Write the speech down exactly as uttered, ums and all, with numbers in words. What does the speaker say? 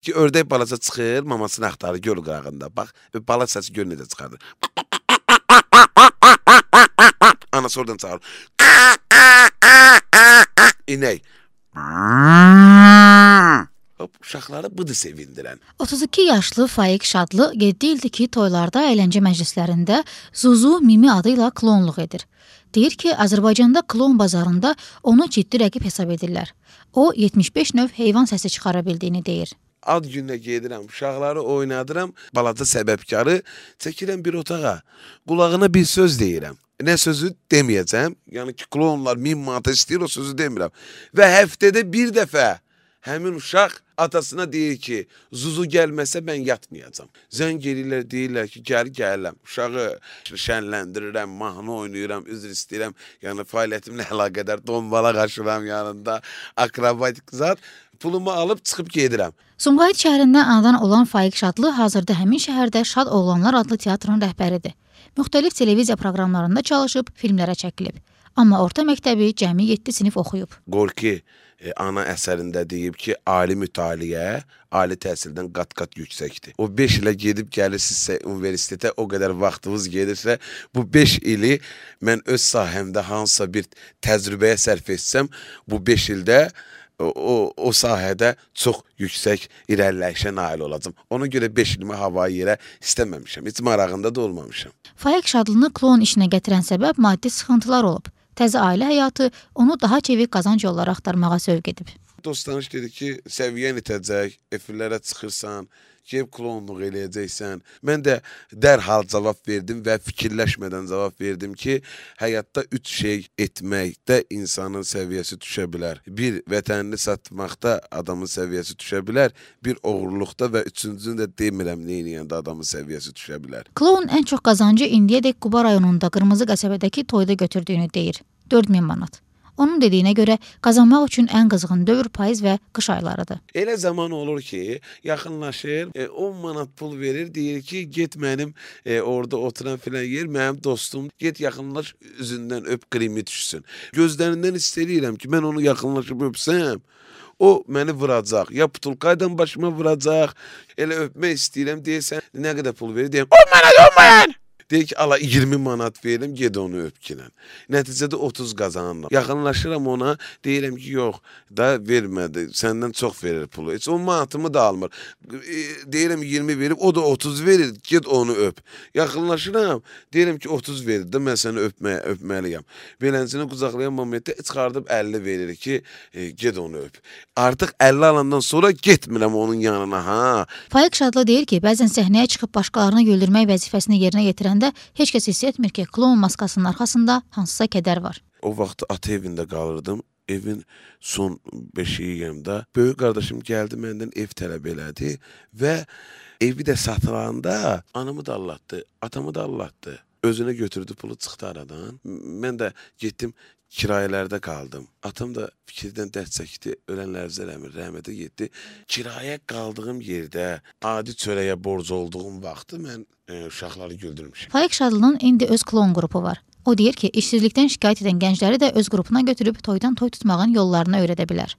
Ki, ördək balası çıxır, mamasını axtarır göl qırağında. Bax, bala səsi gör necə çıxardır. Anası oradan çağırır. İnək. Uşaqları budur sevindirən. otuz iki yaşlı Faiq Şadlı yeddi ildir ki, toylarda, əyləncə məclislərində Zuzu Mimi adı ilə klonluq edir. Deyir ki, Azərbaycanda klon bazarında onu ciddi rəqib hesab edirlər. O, yetmiş beş növ heyvan səsi çıxara bildiyini deyir. Ad gününə gedirəm, uşaqları oynadıram, balaca səbəbkarı çəkirəm bir otağa. Qulağına bir söz deyirəm. Nə sözü deməyəcəm. Yəni ki, klonlar min manata istəyir, o sözü demirəm. Və həftədə bir dəfə həmin uşaq atasına deyir ki, Zuzu gəlməsə mən yatmayacam. Zəng eləyirlər, deyirlər ki, gəl gələm. Uşağı şənləndirirəm, mahnı oynayıram, üzr istəyirəm. Yəni fəaliyyətimlə əlaqədar donbala qaşıram yanında, akrobatik zat. Pulumu alıb çıxıb gedirəm. Sumqayıt şəhərində anadan olan Faiq Şadlı hazırda həmin şəhərdə Şad Oğlanlar adlı teatrın rəhbəridir. Müxtəlif televiziya proqramlarında çalışıb, filmlərə çəkilib. Amma orta məktəbi cəmi yeddi sinif oxuyub. Gorki e, ana əsərində deyib ki, ali mütaliə, ali təhsildən qat-qat yüksəkdir. O beş ilə gedib gəlirsinizsə universitetə, o qədər vaxtınız gedirsə, bu beş ili mən öz sahəmdə hansısa bir təcrübəyə sərf etsəm, bu beş ildə O, o, o sahədə çox yüksək irəliləyişə nail olacam. Ona görə beş ilimi havayı yerə istəməmişəm. Heç marağında da olmamışam. Faiq Şadlını klon işinə gətirən səbəb maddi sıxıntılar olub. Təzə ailə həyatı onu daha çevik qazanc yolları axtarmağa sövq edib. Dostanış dedi ki, səviyyən itəcək, efirlərə çıxırsan, gəlib klonluq eləyəcəksən. Mən də dərhal cavab verdim və fikirləşmədən cavab verdim ki, həyatda üç şey etməkdə insanın səviyyəsi düşə bilər. Bir, vətənini satmaqda adamın səviyyəsi düşə bilər. Bir, oğurluqda və üçüncünü də demirəm neyniyəndə adamın səviyyəsi düşə bilər. Klon ən çox qazancı indiyədək Quba rayonunda Qırmızı qəsəbədəki toyda götürdüyünü deyir. dörd min manat. Onun dediyinə görə qazanmaq üçün ən qızğın dövr payız və qış aylarıdır. Elə zaman olur ki, yaxınlaşır, e, on manat pul verir, deyir ki, get mənim e, orada oturan filan yer, mənim dostum, get yaxınlaş, üzündən öp, krimi düşsün. Gözlərindən istəyirəm ki, mən onu yaxınlaşıb öpsəm, o məni vuracaq, ya putulkaydan başıma vuracaq, elə öpmək istəyirəm, deyirsən, nə qədər pul verir, deyirəm, on manat, on manat! Deyir ki, ala iyirmi manat verim, ged onu öpkilən. Nəticədə otuz qazanıram. Yaxınlaşıram ona, deyirəm ki, yox, da vermədi, səndən çox verir pulu. Heç on manatımı da almır. E, deyirəm iyirmi verib, o da otuz verir, ged onu öp. Yaxınlaşıram, deyirəm ki, otuz verir də, mən səni öpməyə, öpməliyəm. Beləncini qucaqlayan momentdə çıxardıb əlli verir ki, e, ged onu öp. Artıq əlli alandan sonra getmirəm onun yanına, ha. Faiq Şadlı deyir ki, bəzən səhnəyə çıxıb başqalarını güldürmək vəzifəsini yerinə yetirəndə heç kəs hiss etmir ki, klon maskasının arxasında hansısa kədər var. O vaxt ata evində qalırdım. Evin son beşiyiyəmdə. Böyük qardaşım gəldi, məndən ev tələb elədi və evi də satılanda anamı da allatdı, atamı da allatdı. Özünə götürdü, pulu çıxdı aradan. Mən də getdim, kirayələrdə qaldım. Atam da fikirdən dərd çəkdi, ölənlər eləmir, rəhmətə getdi. Kirayə qaldığım yerdə adi çörəyə borc olduğum vaxtı mən e, uşaqları güldürmüşəm. Faiq Şadlının indi öz klon qrupu var. O deyir ki, işsizlikdən şikayət edən gəncləri də öz qrupuna götürüb toydan toy tutmağın yollarını öyrədə bilər.